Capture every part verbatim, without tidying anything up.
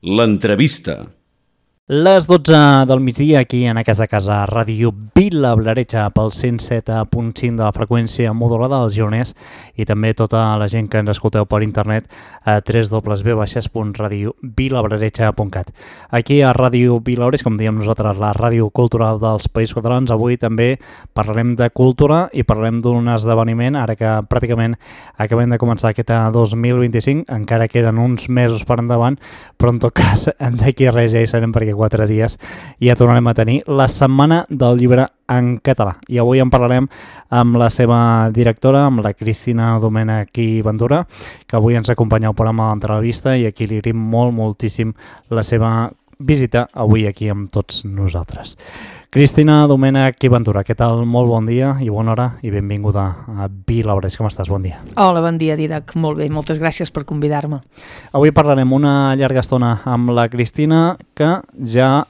L'entrevista. Les dotze del migdia aquí en aquesta casa Ràdio Vila-Blaretxa pel cent set punt cinc de la freqüència modulada dels Gironès i també tota la gent que ens escolteu per internet a w w w punt radio vilablaretxa punt cat. Aquí a Ràdio Vila-Blaretxa, com diem nosaltres, la ràdio cultural dels Països Catalans, avui també parlarem de cultura i parlarem d'un esdeveniment, ara que pràcticament acabem de començar aquest dos mil vint-i-cinc, encara queden uns mesos per endavant, però en tot cas d'aquí res ja hi serem perquè quatre dies ja tornarem a tenir la Setmana del Llibre en català. I avui en parlarem amb la seva directora, amb la Cristina Domènech i Ventura, que avui ens acompanya al programa d'entrevista i aquí li agraïm molt, moltíssim la seva visita avui aquí amb tots nosaltres. Cristina Domènech i Ventura, què tal? Molt bon dia i bona hora i benvinguda a Vila-Blaretxa. Com estàs? Bon dia. Hola, bon dia, Didac. Molt bé, moltes gràcies per convidar-me. Avui parlarem una llarga estona amb la Cristina, que ja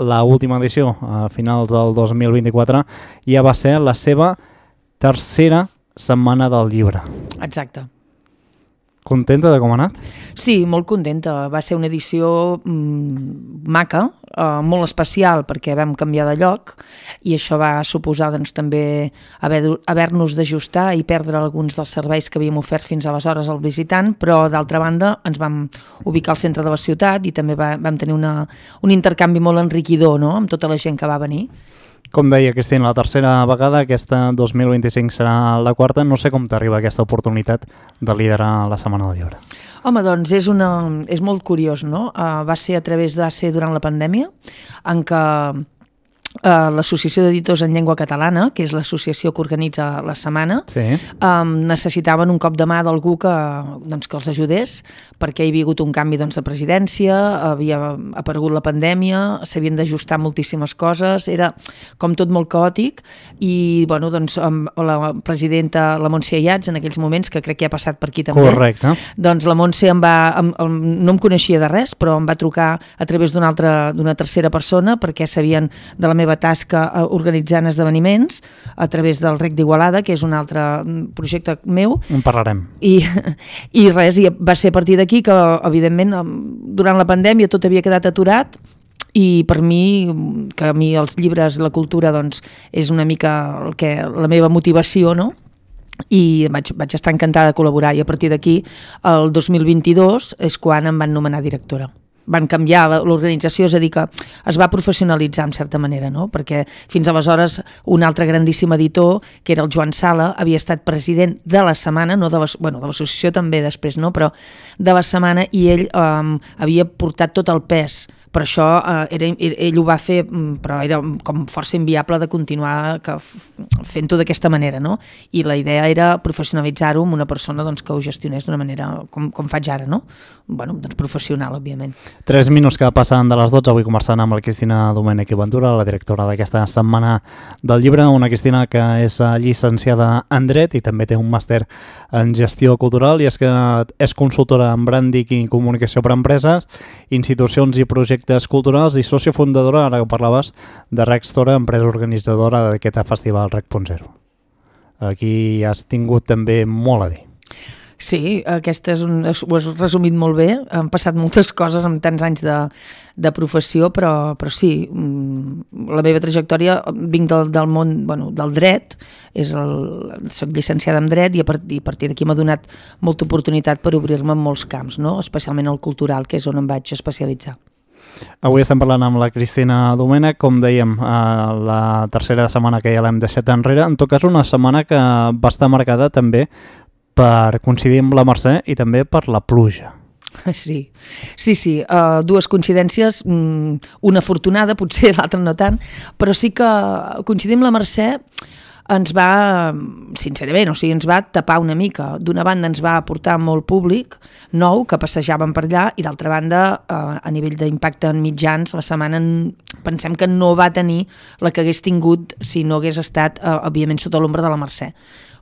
l'última edició, a finals del dos mil vint-i-quatre, ja va ser la seva tercera Setmana del Llibre. Exacte. Contenta de com ha anat? Sí, molt contenta. Va ser una edició mmm, maca, eh, molt especial perquè vam canviar de lloc i això va suposar doncs, també haver, haver-nos d'ajustar i perdre alguns dels serveis que havíem ofert fins aleshores al visitant, però d'altra banda ens vam ubicar al centre de la ciutat i també va, vam tenir una, un intercanvi molt enriquidor, no?, amb tota la gent que va venir. Com deia Cristina, la tercera vegada, aquesta dos mil vint-i-cinc serà la quarta. No sé com t'arriba aquesta oportunitat de liderar la Setmana del Llibre. Home, doncs és, una, és molt curiós, no? Uh, va ser a través de ser durant la pandèmia, en què uh, l'Associació d'Editors en Llengua Catalana, que és l'associació que organitza la setmana, sí. um, necessitaven un cop de mà d'algú que, doncs, que els ajudés, perquè hi havia hagut un canvi doncs, de presidència, havia aparegut la pandèmia, s'havien d'ajustar moltíssimes coses, era com tot molt caòtic, i bueno, doncs, la presidenta, la Montse Ayats, en aquells moments, que crec que ha passat per aquí també, correcte, doncs la Montse em va, em, em, no em coneixia de res, però em va trucar a través d'una altra, d'una tercera persona, perquè sabien de la meva tasca organitzant esdeveniments a través del Rec d'Igualada, que és un altre projecte meu. En parlarem. I, i res, i va ser a partir d'aquí que, evidentment, durant la pandèmia tot havia quedat aturat i per mi, que a mi els llibres, la cultura, doncs, és una mica el que, la meva motivació, no?, i vaig, vaig estar encantada de col·laborar i a partir d'aquí, el dos mil vint-i-dos, és quan em van nomenar directora. Van canviar l'organització, és a dir, que es va professionalitzar en certa manera, no? Perquè fins aleshores un altre grandíssim editor, que era el Joan Sala, havia estat president de la setmana, no de la, bueno, de l'associació també després, no? Però de la setmana, i ell um, havia portat tot el pes. Per això eh, era, ell ho va fer, però era com força inviable de continuar que, fent-ho d'aquesta manera, no? I la idea era professionalitzar-ho amb una persona doncs, que ho gestionés d'una manera com, com faig ara, no? Bueno, doncs professional, òbviament. Tres minuts que passen de les dotze, avui conversant amb la Cristina Domènech i Ventura, la directora d'aquesta Setmana del Llibre, una Cristina que és llicenciada en Dret i també té un màster en Gestió Cultural, i és que és consultora en branding i comunicació per a empreses, institucions i projectes culturals i sòcia fundadora, ara que parlaves, de Rec Store, empresa organitzadora d'aquest festival Rec punt zero. Aquí has tingut també molt a dir. Sí, aquesta és un, ho has resumit molt bé, han passat moltes coses amb tants anys de, de professió, però, però sí, la meva trajectòria, vinc del, del món, bueno, del dret, és el, soc llicenciada en dret i a partir, a partir d'aquí m'ha donat molta oportunitat per obrir-me en molts camps, no? Especialment el cultural, que és on em vaig especialitzar. Avui estem parlant amb la Cristina Domènech, com dèiem, la tercera setmana que ja l'hem deixat enrere, en tot cas una setmana que va estar marcada també per coincidir amb la Mercè i també per la pluja. Sí, sí, sí, uh, dues coincidències, um, una afortunada, potser l'altra no tant, però sí que coincidir amb la Mercè ens va, sincerament, o sigui, ens va tapar una mica. D'una banda ens va aportar molt públic nou que passejàvem per allà i d'altra banda, eh, a nivell d'impacte en mitjans, la setmana pensem que no va tenir la que hagués tingut si no hagués estat, eh, òbviament, sota l'ombra de la Mercè.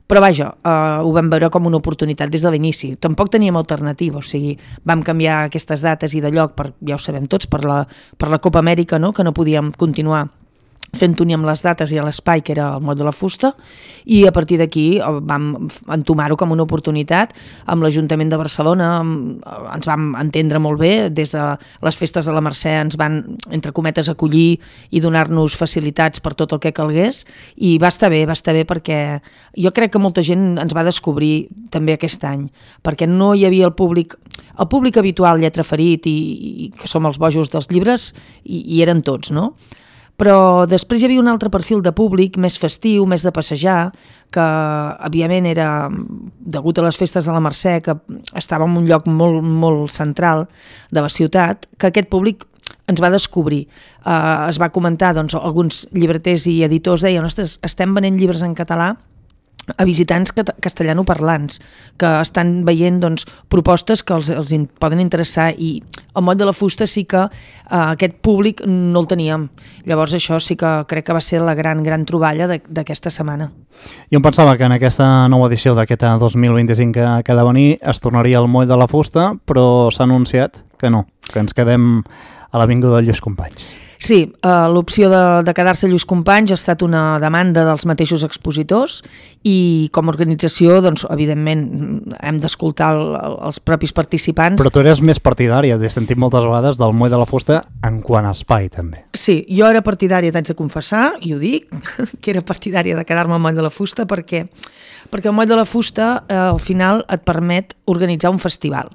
Però vaja, eh, ho vam veure com una oportunitat des de l'inici. Tampoc teníem alternativa, o sigui, vam canviar aquestes dates i de lloc, per, ja ho sabem tots, per la, per la Copa Amèrica, no?, que no podíem continuar fent unir amb les dates i a l'espai, que era el Moll de la Fusta, i a partir d'aquí vam entomar-ho com una oportunitat amb l'Ajuntament de Barcelona, ens vam entendre molt bé, des de les festes de la Mercè ens van, entre cometes, acollir i donar-nos facilitats per tot el que calgués, i va estar bé, va estar bé perquè jo crec que molta gent ens va descobrir també aquest any, perquè no hi havia el públic, el públic habitual Lletra Ferit i, i que som els bojos dels llibres, i, i eren tots, no? Però després hi havia un altre perfil de públic més festiu, més de passejar, que òbviament era degut a les festes de la Mercè, que estava en un lloc molt, molt central de la ciutat, que aquest públic ens va descobrir. Uh, es va comentar, doncs, alguns llibreters i editors deien, ostres, estem venent llibres en català a visitants castellanoparlants que estan veient, doncs, propostes que els, els in, poden interessar, i el Moll de la Fusta sí que uh, aquest públic no el teníem. Llavors això sí que crec que va ser la gran, gran troballa d'aquesta setmana. Jo em pensava que en aquesta nova edició d'aquest dos mil vint-i-cinc que, que ha de venir es tornaria al Moll de la Fusta, però s'ha anunciat que no, que ens quedem a l'Avinguda de Lluís Companys. Sí, uh, l'opció de, de quedar-se a Lluís Companys ha estat una demanda dels mateixos expositors, i com a organització, doncs, evidentment, hem d'escoltar el, els propis participants. Però tu eres més partidària, t'he sentit moltes vegades, del Moll de la Fusta en quant a espai, també. Sí, jo era partidària, t'haig de confessar, i ho dic, que era partidària de quedar-me al Moll de la Fusta, perquè, perquè el Moll de la Fusta eh, al final et permet organitzar un festival.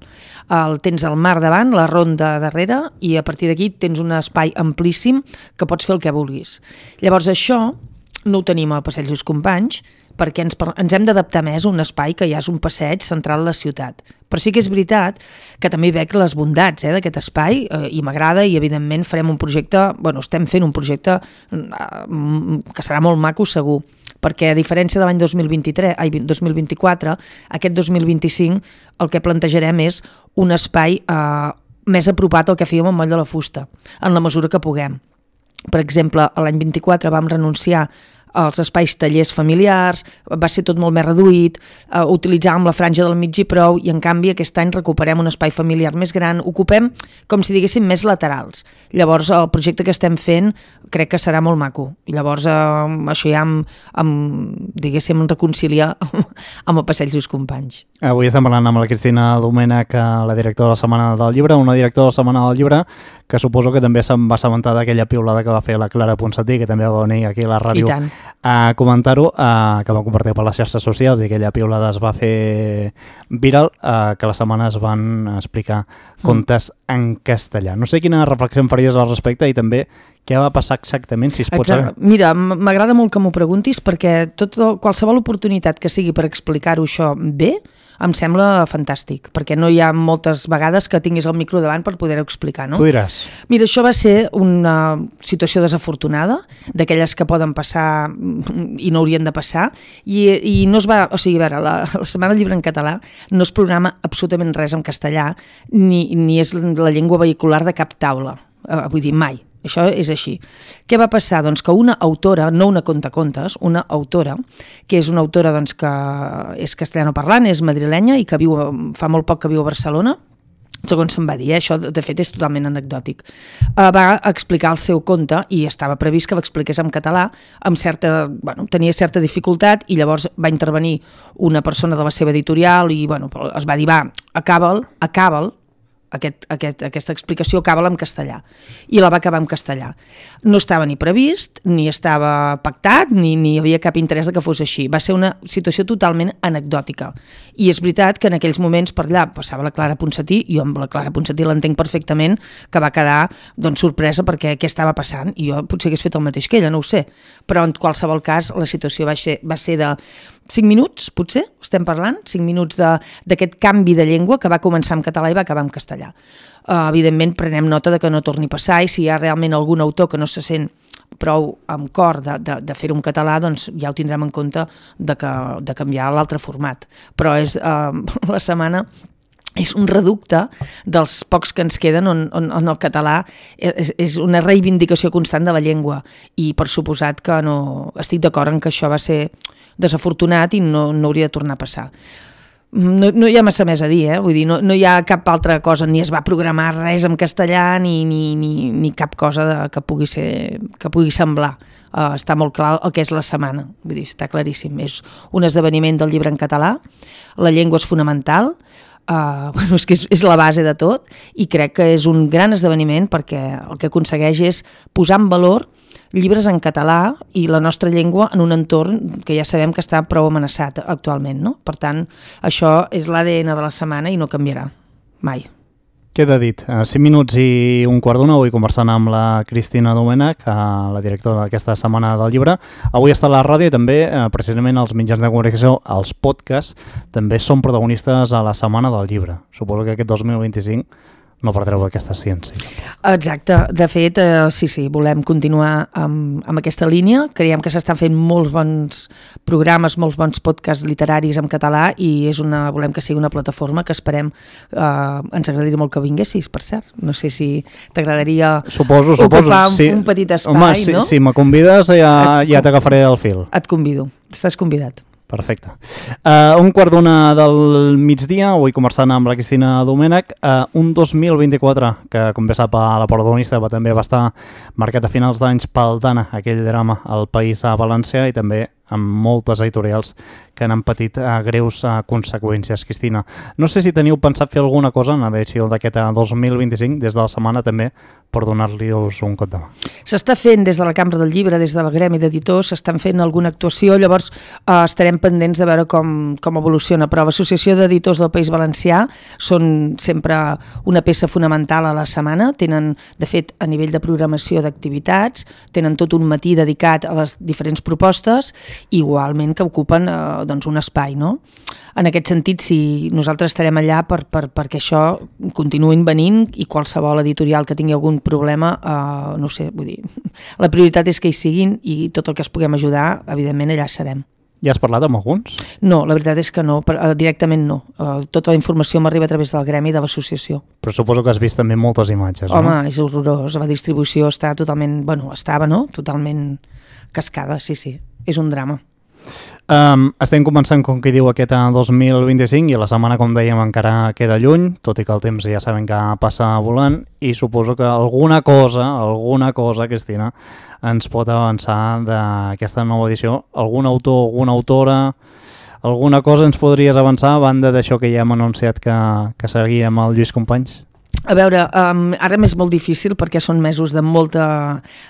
El tens al mar davant, la ronda darrere, i a partir d'aquí tens un espai amplíssim que pots fer el que vulguis. Llavors això no ho tenim a Passeig Lluís Companys, perquè ens, ens hem d'adaptar més a un espai que ja és un passeig central a la ciutat. Però sí que és veritat que també veig les bondats eh, d'aquest espai, eh, i m'agrada, i evidentment farem un projecte, bueno, estem fent un projecte eh, que serà molt maco segur, perquè a diferència de l'any dos mil vint-i-tres, ai, dos mil vint-i-quatre, aquest dos mil vint-i-cinc el que plantejarem és un espai eh, més apropat al que fèiem al Moll de la Fusta, en la mesura que puguem. Per exemple, l'any vint-i-quatre vam renunciar als espais tallers familiars, va ser tot molt més reduït, eh, utilitzàvem la franja del mig i prou, i en canvi aquest any recuperem un espai familiar més gran, ocupem, com si diguéssim, més laterals. Llavors el projecte que estem fent crec que serà molt maco, i llavors eh, això ja em, em, diguéssim, reconcilia amb el Passeig Lluís Companys. Avui estem parlant amb la Cristina Domènech, la directora de la Setmana del Llibre, una directora de la Setmana del Llibre que suposo que també se'n va assabentar d'aquella piulada que va fer la Clara Ponsatí, que també va venir aquí a la ràdio a comentar-ho, eh, que va compartir per les xarxes socials, i aquella piulada es va fer viral, eh, que la setmana es van explicar contes mm. en castellà. No sé quina reflexió em faries al respecte, i també què va passar exactament, si es pot saber. Mira, m'agrada molt que m'ho preguntis, perquè tot, qualsevol oportunitat que sigui per explicar-ho això bé, em sembla fantàstic, perquè no hi ha moltes vegades que tinguis el micro davant per poder-ho explicar, no? Tu diràs. Mira, això va ser una situació desafortunada, d'aquelles que poden passar i no haurien de passar, i, i no es va, o sigui, a veure, la, la Setmana del Llibre en català no es programa absolutament res en castellà, ni, ni és la llengua vehicular de cap taula, uh, vull dir, mai. Això és així. Què va passar? Doncs que una autora, no una contacontes, una autora, que és una autora doncs, que és castellanoparlant, és madrilenya i que viu, fa molt poc que viu a Barcelona, segons se'm va dir, eh? Això de fet és totalment anecdòtic, uh, va explicar el seu conte, i estava previst que l'expliqués en català, amb certa, bueno, tenia certa dificultat, i llavors va intervenir una persona de la seva editorial i bueno, es va dir, va, acaba'l, acaba'l, Aquest, aquest, aquesta explicació acaba en castellà, i la va acabar en castellà. No estava ni previst, ni estava pactat, ni, ni hi havia cap interès de que fos així. Va ser una situació totalment anecdòtica, i és veritat que en aquells moments per allà passava la Clara Ponsatí, i jo amb la Clara Ponsatí l'entenc perfectament, que va quedar doncs, sorpresa perquè què estava passant, i jo potser hagués fet el mateix que ella, no ho sé, però en qualsevol cas la situació va ser, va ser de cinc minuts, potser, estem parlant, cinc minuts d'aquest canvi de llengua que va començar en català i va acabar en castellà. Uh, evidentment, prenem nota de que no torni a passar, i si hi ha realment algun autor que no se sent prou amb cor de, de, de fer-ho en català, doncs ja ho tindrem en compte de, que, de canviar l'altre format. Però és uh, la setmana és un reducte dels pocs que ens queden on, on, on el català és, és una reivindicació constant de la llengua, i per suposat que no estic d'acord en que això va ser desafortunat i no, no hauria de tornar a passar. No, no hi ha massa més a dir, eh? Vull dir, no, no hi ha cap altra cosa, ni es va programar res en castellà, ni, ni, ni, ni cap cosa de, que, pugui ser, que pugui semblar. Uh, està molt clar el que és la setmana, vull dir, està claríssim. És un esdeveniment del llibre en català, la llengua és fonamental, uh, bueno, és que és, és la base de tot, i crec que és un gran esdeveniment perquè el que aconsegueix és posar en valor llibres en català i la nostra llengua en un entorn que ja sabem que està prou amenaçat actualment, no? Per tant, això és l'A D N de la setmana i no canviarà mai. Queda dit. A cinc minuts i un quart d'una, avui conversant amb la Cristina Domènech, la directora d'aquesta Setmana del Llibre. Avui està a la ràdio i també, precisament, els mitjans de comunicació, els podcasts, també són protagonistes a la Setmana del Llibre. Suposo que aquest dos mil vint-i-cinc no perdreu aquesta ciència. Exacte. De fet, eh, sí, sí, volem continuar amb, amb aquesta línia. Creiem que s'estan fent molts bons programes, molts bons podcasts literaris en català i és una, volem que sigui una plataforma que esperem, eh, ens agradaria molt que vinguessis, per cert. No sé si t'agradaria suposo, ocupar suposo, sí. un petit espai, Home, si, no? Si me convides ja, ja t'agafaré el fil. Et convido. Estàs convidat. Perfecte. Uh, un quart d'una del migdia, avui conversant amb la Cristina Domènech, uh, un dos mil vint-i-quatre, que com bé sap a la protagonista va, també va estar marcat a finals d'anys pel Dana, aquell drama al País Valencià, i també amb moltes editorials que han patit uh, greus uh, conseqüències. Cristina, no sé si teniu pensat fer alguna cosa en l'edició d'aquest dos mil vint-i-cinc, des de la setmana també, per donar-li-us un cop de mà. S'està fent des de la Cambra del Llibre, des del Gremi d'Editors, s'estan fent alguna actuació, llavors eh, estarem pendents de veure com, com evoluciona, però l'Associació d'Editors del País Valencià són sempre una peça fonamental a la setmana, tenen, de fet, a nivell de programació d'activitats, tenen tot un matí dedicat a les diferents propostes, igualment que ocupen eh, doncs un espai, no? En aquest sentit, sí, nosaltres estarem allà per, per, perquè això continuïn venint i qualsevol editorial que tingui algun problema, eh, no sé, vull dir, la prioritat és que hi siguin i tot el que es puguem ajudar, evidentment allà serem. Ja has parlat amb alguns? No, la veritat és que no, directament no. Tota la informació m'arriba a través del gremi de l'associació. Però suposo que has vist també moltes imatges, Home, no? Home, és horrorós. La distribució està totalment, bueno, estava, no? Totalment cascada, sí, sí. És un drama. Um, estem començant, com que diu, aquest dos mil vint-i-cinc i la setmana, com dèiem, encara queda lluny, tot i que el temps ja sabem que passa volant, i suposo que alguna cosa, alguna cosa, Cristina, ens pot avançar d'aquesta nova edició. Algun autor, alguna autora, alguna cosa ens podries avançar a banda d'això que ja hem anunciat que, que seguíem el Lluís Companys? A veure, um, ara m'és molt difícil perquè són mesos de molta,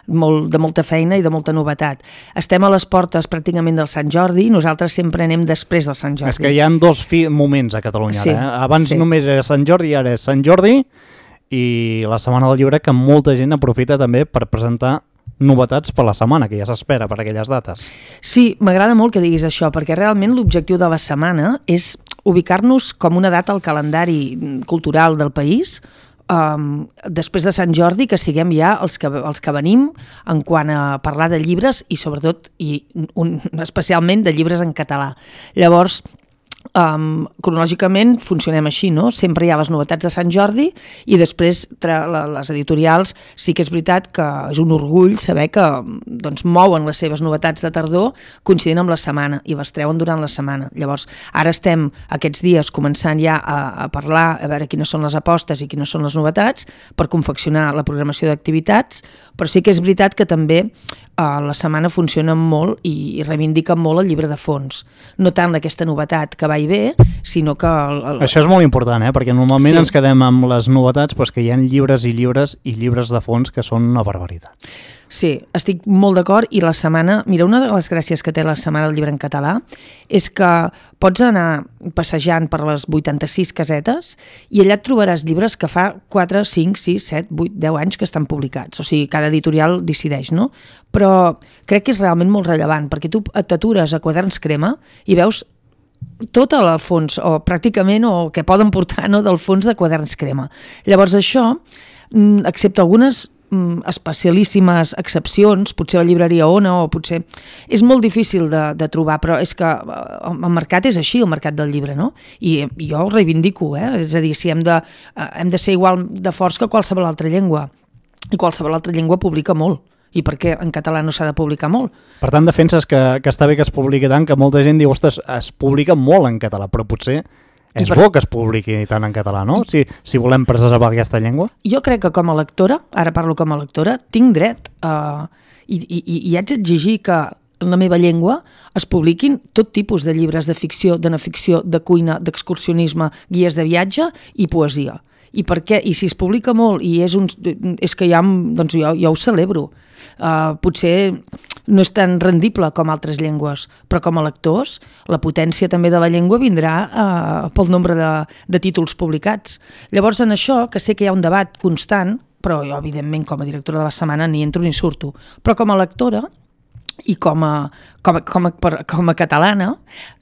molt, de molta feina i de molta novetat. Estem a les portes pràcticament del Sant Jordi i nosaltres sempre anem després del Sant Jordi. És que hi ha dos fi- moments a Catalunya. Sí, ara, eh? Abans sí. només era Sant Jordi i ara és Sant Jordi i la Setmana del Llibre, que molta gent aprofita també per presentar novetats per la setmana, que ja s'espera per aquelles dates. Sí, m'agrada molt que diguis això, perquè realment l'objectiu de la setmana és ubicar-nos com una data al calendari cultural del país, um, després de Sant Jordi, que siguem ja els que, els que venim en quant a parlar de llibres i sobretot, i un, especialment de llibres en català. Llavors, Um, cronològicament funcionem així, no? Sempre hi ha les novetats de Sant Jordi i després tra- la, les editorials sí que és veritat que és un orgull saber que doncs, mouen les seves novetats de tardor coincidint amb la setmana i les treuen durant la setmana. Llavors, ara estem aquests dies començant ja a, a parlar, a veure quines són les apostes i quines són les novetats per confeccionar la programació d'activitats, però sí que és veritat que també Uh, la setmana funciona molt i, i reivindica molt el llibre de fons. No tant aquesta novetat que va i ve, sinó que... El, el... Això és molt important, eh? Perquè normalment Sí. ens quedem amb les novetats, però és que hi ha llibres i llibres i llibres de fons que són una barbaritat. Sí, estic molt d'acord i la setmana... Mira, una de les gràcies que té la Setmana del Llibre en català és que pots anar passejant per les vuitanta-sis casetes i allà et trobaràs llibres que fa quatre, cinc, sis, set, vuit, deu anys que estan publicats. O sigui, cada editorial decideix, no? Però crec que és realment molt rellevant perquè tu t'atures a Quaderns Crema i veus tot el fons, o pràcticament, o que poden portar, no, del fons de Quaderns Crema. Llavors això, excepte algunes especialíssimes excepcions, potser la llibreria Ona o potser... És molt difícil de, de trobar, però és que el mercat és així, el mercat del llibre, no? I, i jo ho reivindico, eh? És a dir, si hem de, hem de ser igual de forts que qualsevol altra llengua, i qualsevol altra llengua publica molt. I per què en català no s'ha de publicar molt? Per tant, defenses que, que està bé que es publiqui tant, que molta gent diu, ostres, es publica molt en català, però potser És per... bo que es publiqui tant en català, no? Si, si volem preservar aquesta llengua. Jo crec que com a lectora, ara parlo com a lectora, tinc dret a... I, i, i haig d'exigir que en la meva llengua es publiquin tot tipus de llibres de ficció, de no ficció, de cuina, d'excursionisme, guies de viatge i poesia. I per què? I si es publica molt i és, un, és que ja, doncs jo, jo ho celebro. Uh, potser no és tan rendible com altres llengües, però com a lectors la potència també de la llengua vindrà uh, pel nombre de, de títols publicats. Llavors en això, que sé que hi ha un debat constant, però jo evidentment com a directora de la setmana ni entro ni surto, però com a lectora i com a, com a, com a, com a catalana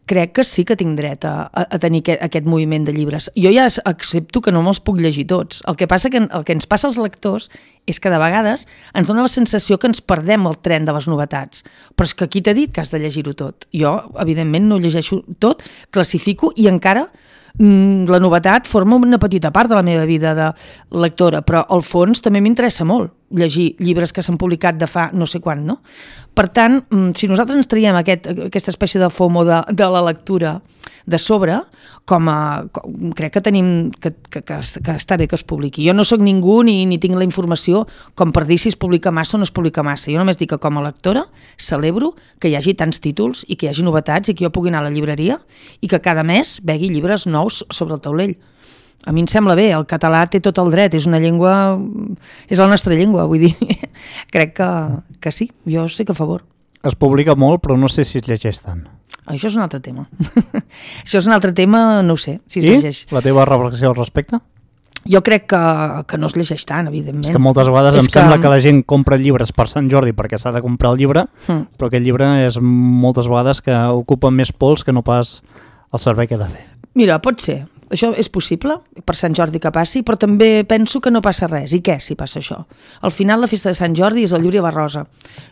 crec que sí que tinc dret a, a tenir aquest, aquest moviment de llibres. Jo ja accepto que no me'ls puc llegir tots. El que passa que el que ens passa als lectors és que de vegades ens dona la sensació que ens perdem el tren de les novetats. Però és que qui t'ha dit que has de llegir-ho tot? Jo, evidentment, no ho llegeixo tot, classifico i encara la novetat forma una petita part de la meva vida de lectora, però al fons també m'interessa molt llegir llibres que s'han publicat de fa no sé quan, no? Per tant, si nosaltres ens traiem aquest, aquesta espècie de FOMO de, de la lectura de sobre, com a, com, crec que tenim que, que, que, que està bé que es publiqui. Jo no sóc ningú ni, ni tinc la informació com per dir si es publica massa o no es publica massa. Jo només dic que com a lectora celebro que hi hagi tants títols i que hi hagi novetats i que jo pugui anar a la llibreria i que cada mes vegui llibres nous sobre el taulell. A mi em sembla bé, el català té tot el dret, és una llengua, és la nostra llengua, vull dir, crec que, que sí, jo estic a favor. Es publica molt, però no sé si es llegeix tant. Això és un altre tema. Això és un altre tema, no ho sé, si es I llegeix. La teva reflexió al respecte? Jo crec que, que no es llegeix tant, evidentment. És que moltes vegades és em que... sembla que la gent compra llibres per Sant Jordi perquè s'ha de comprar el llibre, mm. però aquest llibre és moltes vegades que ocupa més pols que no pas el servei que ha de fer. Mira, pot ser. Això és possible, per Sant Jordi que passi, però també penso que no passa res. I què si passa això? Al final la festa de Sant Jordi és el llibre i la rosa.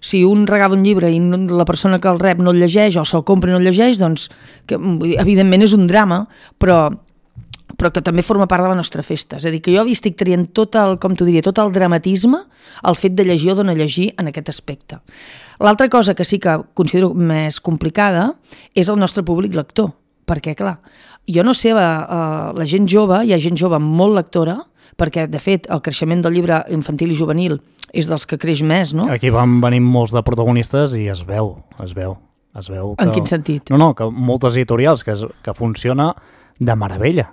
Si un regala un llibre i la persona que el rep no el llegeix o se'l compra i no el llegeix, doncs que, evidentment és un drama, però, però que també forma part de la nostra festa. És a dir, que jo estic traient tot el, com t'ho diria, tot el dramatisme al fet de llegir o de no llegir en aquest aspecte. L'altra cosa que sí que considero més complicada és el nostre públic lector. Perquè, clar, jo no sé, la, la gent jove, hi ha gent jove molt lectora, perquè, de fet, el creixement del llibre infantil i juvenil és dels que creix més, no? Aquí van venir molts de protagonistes i es veu, es veu. Es veu que... En quin sentit? No, no, que moltes editorials, que, que funciona de meravella.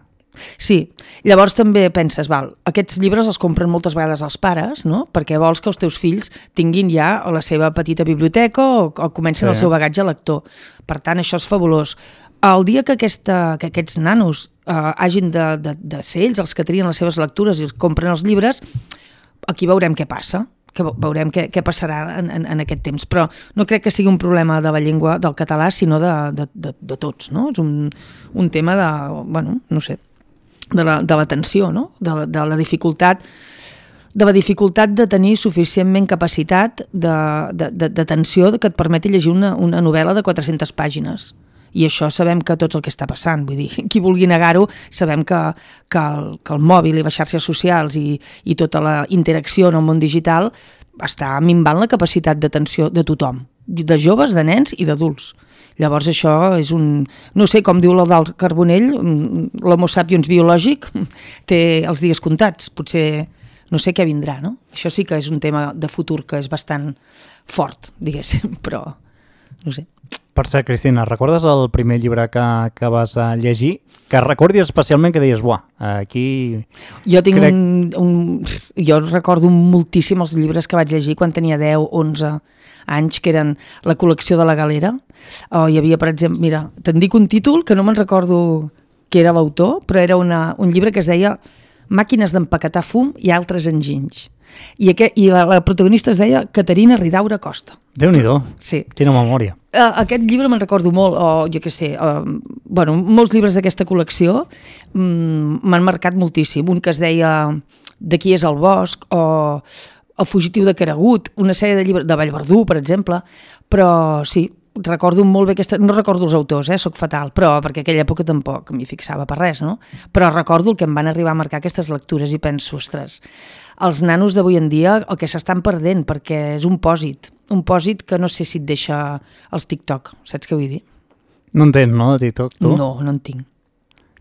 Sí, llavors també penses, val, aquests llibres els compren moltes vegades els pares, no? Perquè vols que els teus fills tinguin ja la seva petita biblioteca o, o comencin sí. el seu bagatge lector. Per tant, això és fabulós. El dia que, aquesta, que aquests nanos eh, hagin de, de, de ser ells els que trien les seves lectures i compren els llibres, aquí veurem què passa, que veurem què, què passarà en, en, en aquest temps. Però no crec que sigui un problema de la llengua del català, sinó de, de, de, de tots, no? És un, un tema de, bueno, no sé, de la, de l'atenció, no? De, de la dificultat de la dificultat de tenir suficientment capacitat d'atenció que et permeti llegir una, una novel·la de quatre-centes pàgines. I això sabem que tots el que està passant, vull dir, qui vulgui negar-ho, sabem que, que, el, que el mòbil i les xarxes socials i, i tota la interacció en el món digital està minvant la capacitat d'atenció de tothom, de joves, de nens i d'adults. Llavors això és un... No sé, com diu l'Eudald Carbonell, l'homo sapiens biològic té els dies comptats, potser no sé què vindrà, no? Això sí que és un tema de futur que és bastant fort, diguéssim, però no sé. Per cert, Cristina, recordes el primer llibre que, que vas a llegir? Que recordis especialment que deies, buah, aquí... Jo tinc crec... un, un... Jo recordo moltíssim els llibres que vaig llegir quan tenia deu, onze anys, que eren la col·lecció de la Galera. Oh, hi havia, per exemple, mira, te'n dic un títol que no me'n recordo qui era l'autor, però era una, un llibre que es deia Màquines d'empaquetar fum i altres enginys. I, aquest, i la, la protagonista es deia Caterina Ridaura Costa. Déu-n'hi-do, sí. Quina memòria. Uh, aquest llibre me'n recordo molt, o jo què sé, uh, bueno, molts llibres d'aquesta col·lecció um, m'han marcat moltíssim. Un que es deia De qui és el bosc, o El fugitiu de Caragut, una sèrie de llibres, de Vallverdú, per exemple, però sí, recordo molt bé aquesta... No recordo els autors, eh, soc fatal, però perquè aquella època tampoc m'hi fixava per res, no? Però recordo el que em van arribar a marcar aquestes lectures i penso, ostres, els nanos d'avui en dia el que s'estan perdent, perquè és un pòsit, un pòsit que no sé si et deixa els TikTok, saps què vull dir? No en tens, no, de TikTok, tu? No, no en tinc.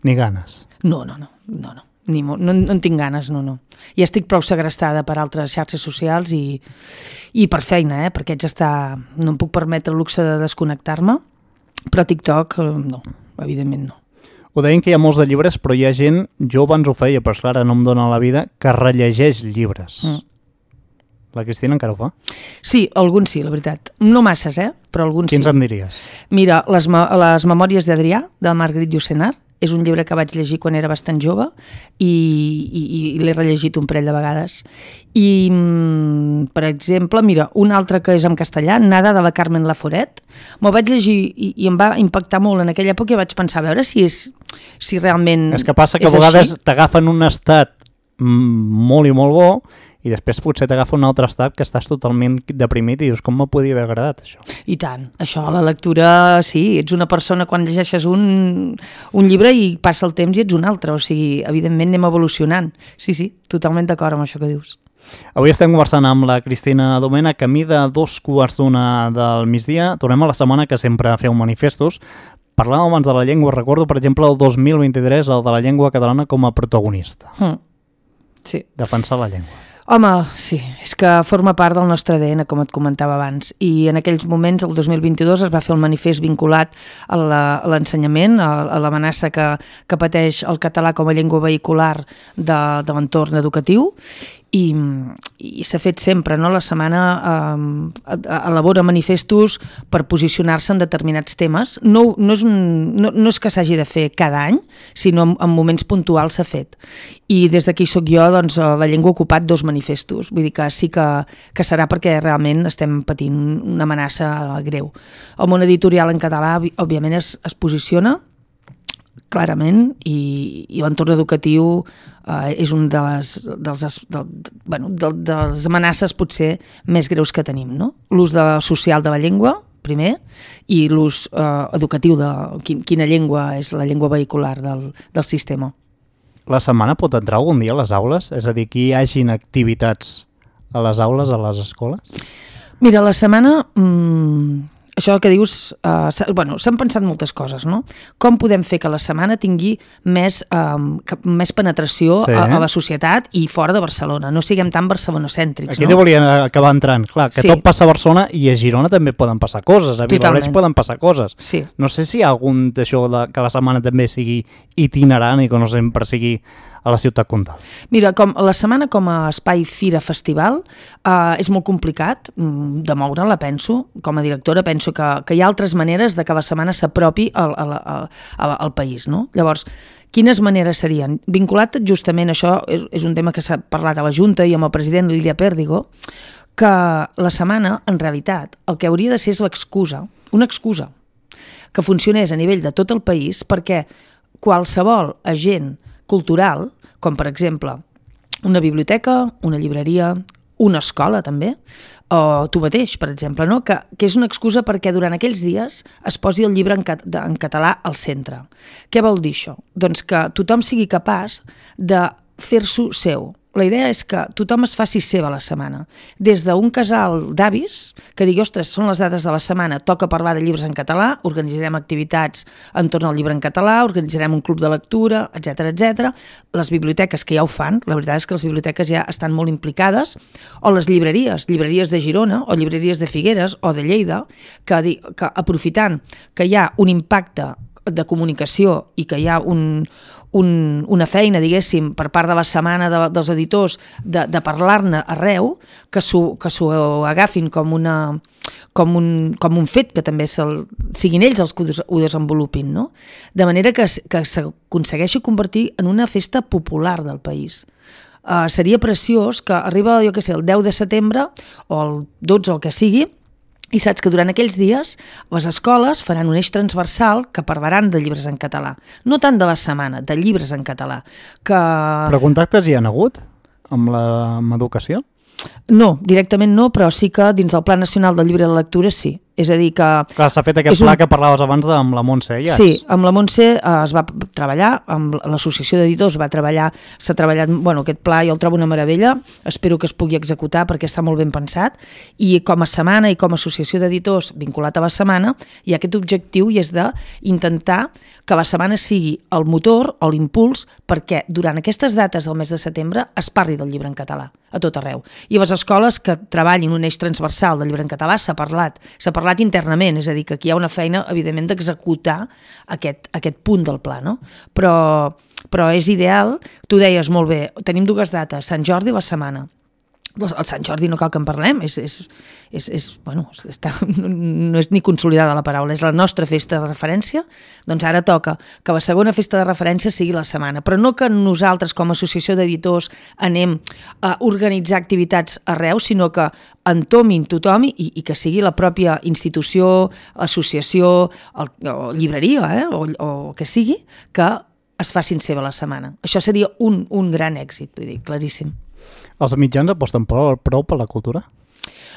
Ni ganes? No, no, no, no, no. Ni mo... no, no en tinc ganes, no, no. Ja estic prou segrestada per altres xarxes socials i, i per feina, eh? Perquè haig d'estar... No em puc permetre el luxe de desconnectar-me, però TikTok, no, evidentment no. Ho deien que hi ha molts de llibres, però hi ha gent, jo abans ho feia, però esclar, no em dóna la vida, que rellegeix llibres. Mm. La Cristina encara ho fa? Sí, alguns sí, la veritat. No masses, eh? Però alguns Quins sí. em diries? Mira, les, me les Memòries d'Adrià, de Marguerite Yourcenar, és un llibre que vaig llegir quan era bastant jove i, i, i l'he rellegit un parell de vegades. I, per exemple, mira, un altre que és en castellà, Nada, de la Carmen Laforet, me'l vaig llegir i, i em va impactar molt en aquella època i vaig pensar a veure si és si realment és que passa que a vegades t'agafen un estat molt i molt bo i després potser t'agafa un altre estat que estàs totalment deprimit i dius, com me podia haver agradat això? I tant, això, la lectura, sí, ets una persona quan llegeixes un, un llibre i passa el temps i ets un altre, o sigui, evidentment anem evolucionant. Sí, sí, totalment d'acord amb això que dius. Avui estem conversant amb la Cristina Domènech, camí de dos quarts d'una del migdia. Tornem a la setmana que sempre feu manifestos. Parlàvem abans de la llengua, recordo, per exemple, el dos mil vint-i-tres, el de la llengua catalana com a protagonista. Mm. Sí. Defensar la llengua. Home, sí, és que forma part del nostre A D N, com et comentava abans, i en aquells moments, el dos mil vint-i-dos, es va fer el manifest vinculat a l'ensenyament, a, a l'amenaça que, que pateix el català com a llengua vehicular de, de l'entorn educatiu, i, i s'ha fet sempre, no? La setmana eh, elabora manifestos per posicionar-se en determinats temes. No, no, és, un, no, no és que s'hagi de fer cada any, sinó en, en moments puntuals s'ha fet. I des d'aquí soc jo, doncs, la llengua ha ocupat dos manifestos. Vull dir que sí que, que serà perquè realment estem patint una amenaça greu. El món editorial en català, òbviament, es, es posiciona clarament, i, i l'entorn educatiu eh, és un de les, dels, de, bueno, de, de les amenaces potser més greus que tenim, no? L'ús de, social de la llengua, primer, i l'ús eh, educatiu de quin, quina llengua és la llengua vehicular del, del sistema. La setmana pot entrar algun dia a les aules? És a dir, que hi hagin activitats a les aules, a les escoles? Mira, la setmana... Mmm, això que dius, eh, bueno, s'han pensat moltes coses, no? Com podem fer que la setmana tingui més, eh, més penetració sí. a, a la societat i fora de Barcelona, no siguem tan barcelonocèntrics, Aquí no? Aquí volia acabar entrant, clar, que sí. Tot passa a Barcelona i a Girona també poden passar coses, a Vilablareix poden passar coses. Sí. No sé si hi ha algun d'això de, que la setmana també sigui itinerant i que no sempre sigui a la ciutat comtal. Mira, com la setmana com a espai fira festival eh, és molt complicat de moure-la, penso. Com a directora penso que, que hi ha altres maneres de que la setmana s'apropi al, al, al, al país, no? Llavors, quines maneres serien? Vinculat justament, això és, és un tema que s'ha parlat a la Junta i amb el president Lilia Pérdigo, que la setmana, en realitat, el que hauria de ser és l'excusa, una excusa, que funcionés a nivell de tot el país perquè qualsevol agent cultural, com per exemple una biblioteca, una llibreria, una escola també, o tu mateix, per exemple, no? que, que és una excusa perquè durant aquells dies es posi el llibre en, cat en català al centre. Què vol dir això? Doncs que tothom sigui capaç de fer-s'ho seu. La idea és que tothom es faci seva la setmana. Des d'un casal d'avis, que digui, ostres, són les dates de la setmana, toca parlar de llibres en català, organitzarem activitats entorn al llibre en català, organitzarem un club de lectura, etcètera, etcètera. Les biblioteques que ja ho fan, la veritat és que les biblioteques ja estan molt implicades, o les llibreries, llibreries de Girona, o llibreries de Figueres, o de Lleida, que, que aprofitant que hi ha un impacte de comunicació i que hi ha un... Un, una feina, diguéssim, per part de la setmana de, dels editors de, de parlar-ne arreu, que s'ho agafin com, una, com, un, com un fet que també siguin ells els que ho desenvolupin, no? De manera que, que s'aconsegueixi convertir en una festa popular del país. Uh, seria preciós que arriba, jo què sé, el deu de setembre o el dotze o el que sigui, i saps que durant aquells dies les escoles faran un eix transversal que parlaran de llibres en català. No tant de la setmana, de llibres en català. Que... Però contactes hi han hagut amb l'educació? No, directament no, però sí que dins del Pla Nacional del Llibre de Lectura sí. És a dir que... Clar, s'ha fet aquest pla un... que parlaves abans de, amb la Montse Iats. Sí, amb la Montse eh, es va treballar, amb l'associació d'editors va treballar, s'ha treballat, bueno, aquest pla jo el trobo una meravella, espero que es pugui executar perquè està molt ben pensat, i com a setmana i com a associació d'editors vinculat a la setmana, hi ha aquest objectiu i és d'intentar que la setmana sigui el motor o l'impuls perquè durant aquestes dates del mes de setembre es parli del llibre en català a tot arreu. I a les escoles que treballin un eix transversal del llibre en català s'ha parlat, s'ha parlat internament, és a dir, que aquí hi ha una feina, evidentment, d'executar aquest, aquest punt del pla, no? Però, però és ideal, tu deies molt bé, tenim dues dates, Sant Jordi i la setmana. El Sant Jordi no cal que en parlem, és, és, és, és, bueno, està, no és ni consolidada la paraula, és la nostra festa de referència, doncs ara toca que la segona festa de referència sigui la setmana, però no que nosaltres com a associació d'editors anem a organitzar activitats arreu, sinó que entomin tothom i, i que sigui la pròpia institució, associació o, o llibreria, eh, o, o que sigui, que es facin seva la setmana. Això seria un, un gran èxit, vull dir, claríssim. Els mitjans aposten prou, prou per la cultura?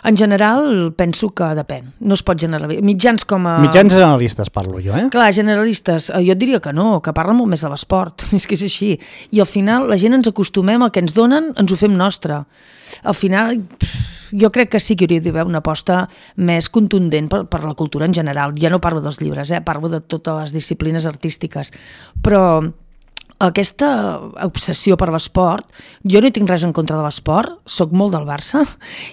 En general, penso que depèn. No es pot generalitzar. Mitjans com a... Mitjans generalistes parlo jo, eh? Clar, generalistes. Jo et diria que no, que parlen molt més de l'esport. És que és així. I al final la gent ens acostumem al que ens donen, ens ho fem nostre. Al final, jo crec que sí que hauria d'haver una aposta més contundent per, per la cultura en general. Ja no parlo dels llibres, eh? Parlo de totes les disciplines artístiques. Però... aquesta obsessió per l'esport, jo no hi tinc res en contra de l'esport, soc molt del Barça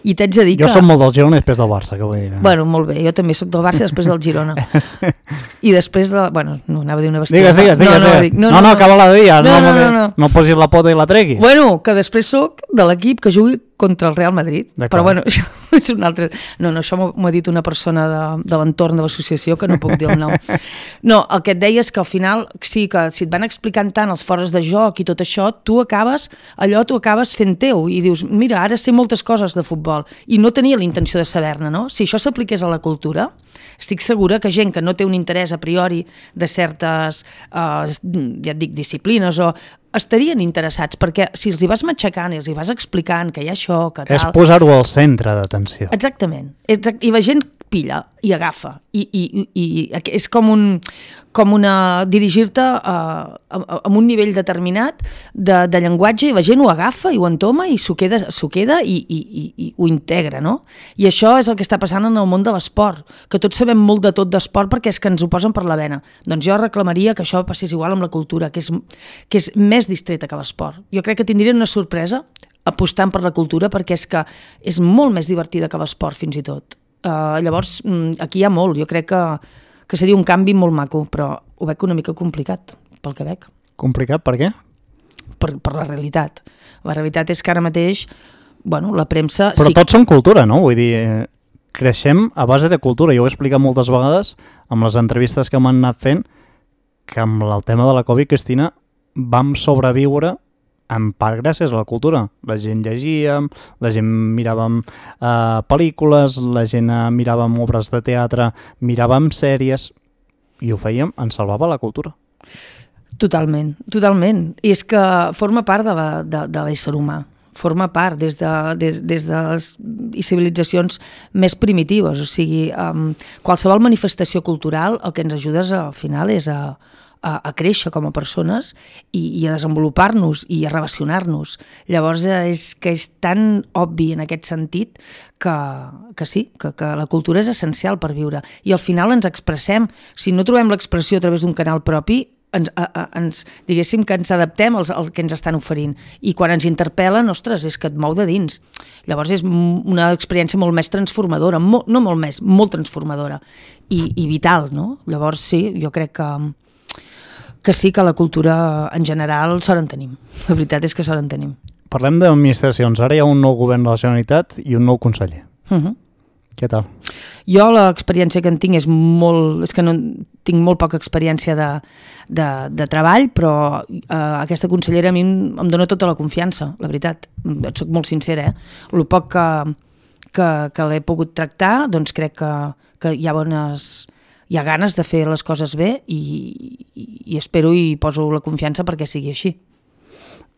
i t'haig de dir jo que... Jo soc molt del Girona després del Barça, que vull dir. Bueno, molt bé, jo també soc del Barça i després del Girona. I després de... Bueno, no, anava a dir una bestiesa. Digues, digues, digues. No, no, dic, no, no, no, no, acaba la dia, no, no, no, no, no. no posis la pota i la treguis. Bueno, que després soc de l'equip que jugui contra el Real Madrid, però bueno, això és un altre... No, no, això m'ho ha dit una persona de, de l'entorn de l'associació que no puc dir el nom. No, el que et deia és que al final, sí, que si et van explicant tant els fores de joc i tot això, tu acabes, allò tu acabes fent teu i dius, mira, ara sé moltes coses de futbol i no tenia la intenció de saber-ne, no? Si això s'apliqués a la cultura, estic segura que gent que no té un interès a priori de certes, eh, ja et dic, disciplines o estarien interessats, perquè si els hi vas matxacant i els hi vas explicant que hi ha això, que tal... És posar-ho al centre d'atenció. Exactament. Exact, i la gent pilla i agafa. I, i, i és com un com una dirigir-te a, a, a un nivell determinat de, de llenguatge i la gent ho agafa i ho entoma i s'ho queda, s'ho queda i, i, i, i ho integra, no? I això és el que està passant en el món de l'esport, que tots sabem molt de tot d'esport perquè és que ens ho posen per la vena. Doncs jo reclamaria que això passés igual amb la cultura, que és, que és més distreta que l'esport. Jo crec que tindrien una sorpresa apostant per la cultura perquè és que és molt més divertida que l'esport fins i tot. Uh, llavors, aquí hi ha molt, jo crec que, que seria un canvi molt maco, però ho veig una mica complicat, pel que veig. Complicat per què? Per, per la realitat. La realitat és que ara mateix, bueno, la premsa... Però sí... tots són cultura, no? Vull dir, eh, creixem a base de cultura. Jo ho he explicat moltes vegades amb les entrevistes que m'han anat fent, que amb el tema de la Covid, Cristina, vam sobreviure en part gràcies a la cultura. La gent llegia, la gent miràvem eh, pel·lícules, la gent eh, miràvem obres de teatre, miràvem sèries, i ho fèiem, ens salvava la cultura. Totalment, totalment. I és que forma part de, la, de, de l'ésser humà. Forma part des de, des, des de les civilitzacions més primitives. O sigui, um, qualsevol manifestació cultural el que ens ajuda al final és a A, a créixer com a persones i, i a desenvolupar-nos i a relacionar-nos. Llavors és que és tan obvi en aquest sentit que, que sí, que, que la cultura és essencial per viure. I al final ens expressem. Si no trobem l'expressió a través d'un canal propi, ens, a, a, ens, diguéssim que ens adaptem als, al que ens estan oferint. I quan ens interpel·len, ostres, és que et mou de dins. Llavors és una experiència molt més transformadora, molt, no molt més, molt transformadora i, i vital, no? Llavors sí, jo crec que que sí que la cultura en general sort en tenim. La veritat és que sort en tenim. Parlem d'administracions. Ara hi ha un nou govern de la Generalitat i un nou conseller. Uh-huh. Què tal? Jo l'experiència que en tinc és molt... És que no tinc molt poca experiència de, de, de treball, però eh, aquesta consellera a mi em dona tota la confiança, la veritat. Et soc molt sincera, eh? El poc que, que, que l'he pogut tractar, doncs crec que, que hi ha bones... hi ha ganes de fer les coses bé i, i, i espero i poso la confiança perquè sigui així.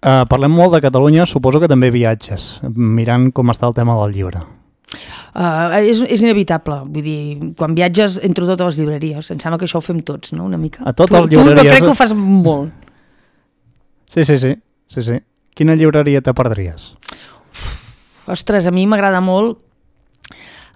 Uh, parlem molt de Catalunya, suposo que també viatges, mirant com està el tema del llibre. Uh, és, és inevitable, vull dir, quan viatges entro a totes les llibreries, em sembla que això ho fem tots, no?, una mica. A totes tu, les llibreries. Tu no crec que ho fas molt. Sí, sí, sí, sí, sí. Quina llibreria te perdries? Uf, ostres, a mi m'agrada molt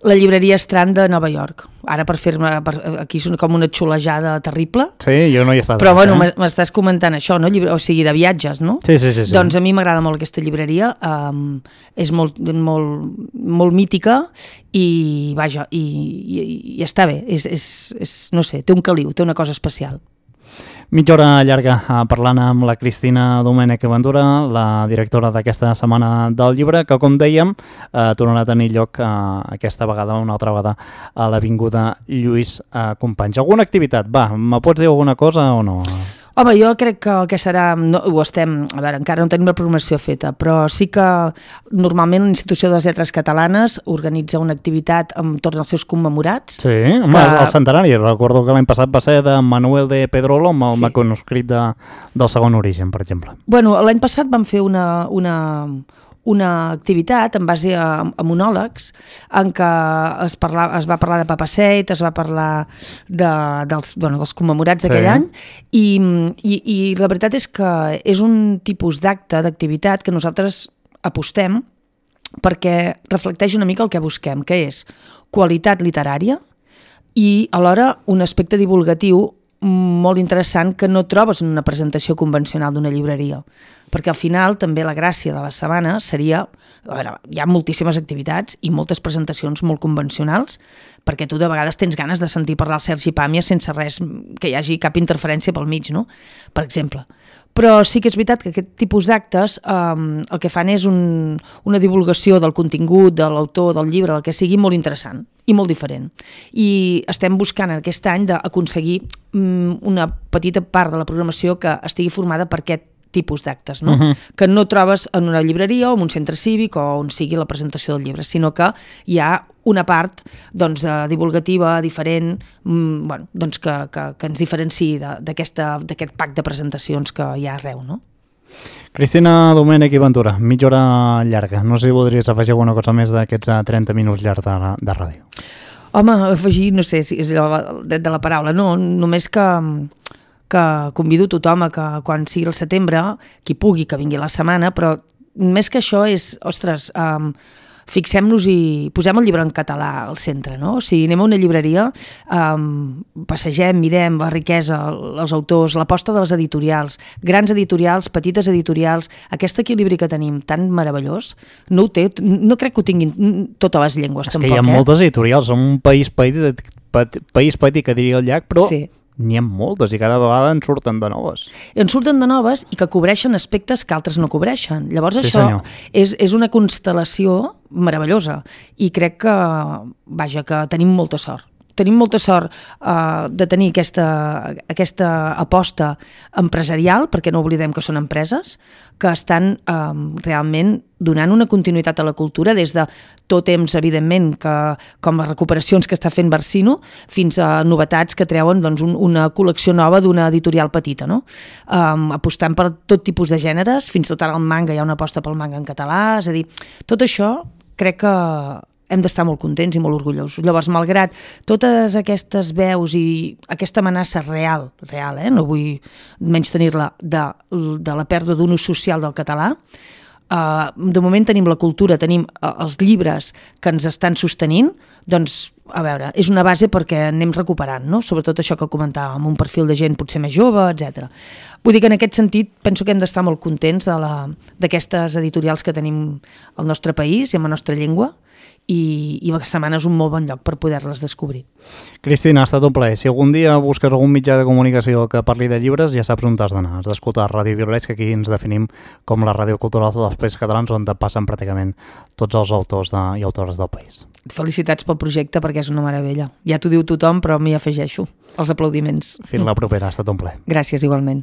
la llibreria Strand de Nova York. Ara per fer-me... Per, aquí és com una xulejada terrible. Sí, jo no hi he estat. Però bueno, eh? m'estàs comentant això, no? Llibre, o sigui, de viatges, no? Sí, sí, sí. sí. Doncs a mi m'agrada molt aquesta llibreria. Um, és molt, molt, molt mítica i, vaja, i, i, i està bé. És, és, és, no sé, té un caliu, té una cosa especial. Mitja hora llarga eh, parlant amb la Cristina Domènech Ventura, la directora d'aquesta setmana del llibre, que com dèiem eh, tornarà a tenir lloc eh, aquesta vegada, una altra vegada, a l'Avinguda Lluís eh, Companys. Alguna activitat? Va, me pots dir alguna cosa o no? Home, jo crec que el que serà, no, ho estem, a veure, encara no tenim la programació feta, però sí que normalment l'Institució de les Lletres Catalanes organitza una activitat entorn als seus commemorats. Sí, home, que... el centenari, recordo que l'any passat va ser de Manuel de Pedrolo amb el sí. manuscrit de, del segon origen, per exemple. Bueno, l'any passat vam fer una... una una activitat en base a, a monòlegs en què es, parla, es va parlar de Papaseit, es va parlar de, dels, bueno, dels commemorats d'aquell sí. any i, i, i la veritat és que és un tipus d'acte, d'activitat que nosaltres apostem perquè reflecteix una mica el que busquem, que és qualitat literària i alhora un aspecte divulgatiu molt interessant que no trobes en una presentació convencional d'una llibreria, perquè al final també la gràcia de la setmana seria, a veure, hi ha moltíssimes activitats i moltes presentacions molt convencionals, perquè tu de vegades tens ganes de sentir parlar el Sergi Pàmies sense res, que hi hagi cap interferència pel mig, no?, per exemple. Però sí que és veritat que aquest tipus d'actes eh, el que fan és un, una divulgació del contingut, de l'autor, del llibre, del que sigui, molt interessant i molt diferent. I estem buscant aquest any d'aconseguir mm, una petita part de la programació que estigui formada per aquest tipus d'actes, no? Uh-huh. Que no trobes en una llibreria o en un centre cívic o on sigui la presentació del llibre, sinó que hi ha una part doncs, divulgativa, diferent, mmm, bueno, doncs que, que, que ens diferenciï d'aquest pack de presentacions que hi ha arreu, no? Cristina Domènech i Ventura, mitja hora llarga. No sé si voldries afegir alguna cosa més d'aquests trenta minuts llargs de, de ràdio. Home, afegir, no sé si és el dret de la paraula, no, només que... que convido tothom a que quan sigui el setembre, qui pugui que vingui la setmana, però més que això és, ostres, um, fixem-nos i posem el llibre en català al centre, no? O sigui, anem a una llibreria, um, passegem, mirem la riquesa, els autors, l'aposta de les editorials, grans editorials, petites editorials, aquest equilibri que tenim tan meravellós, no ho té, no crec que ho tinguin totes les llengües, és tampoc, que hi ha eh? moltes editorials, som un país petit, país petit que diria el llac, però... Sí. N'hi ha moltes i cada vegada en surten de noves. En surten de noves i que cobreixen aspectes que altres no cobreixen. Llavors sí, això és, és una constel·lació meravellosa i crec que, vaja, que tenim molta sort. Tenim molta sort uh, de tenir aquesta, aquesta aposta empresarial, perquè no oblidem que són empreses, que estan um, realment donant una continuïtat a la cultura des de tot temps, evidentment, que, com les recuperacions que està fent Barsino, fins a novetats que treuen doncs, un, una col·lecció nova d'una editorial petita, no? Um, apostant per tot tipus de gèneres, fins tot ara el manga, hi ha una aposta pel manga en català, és a dir, tot això crec que hem d'estar molt contents i molt orgullosos. Llavors, malgrat totes aquestes veus i aquesta amenaça real, real, eh? No vull menys tenir-la, de, de la pèrdua d'un ús social del català, Uh, de moment tenim la cultura, tenim uh, els llibres que ens estan sostenint, doncs, a veure, és una base perquè anem recuperant, no? Sobretot això que comentàvem, un perfil de gent potser més jove, etcètera. Vull dir que en aquest sentit penso que hem d'estar molt contents d'aquestes editorials que tenim al nostre país i amb la nostra llengua, i, i la setmana és un molt bon lloc per poder-les descobrir. Cristina, ha estat un plaer. Si algun dia busques algun mitjà de comunicació que parli de llibres, ja saps on t'has d'anar. Has d'escoltar Ràdio Violets, que aquí ens definim com la ràdio cultural dels Països Catalans, on passen pràcticament tots els autors de, i autores del país. Felicitats pel projecte, perquè és una meravella. Ja t'ho diu tothom, però m'hi afegeixo els aplaudiments. Fins la propera, ha estat un plaer. Gràcies, igualment.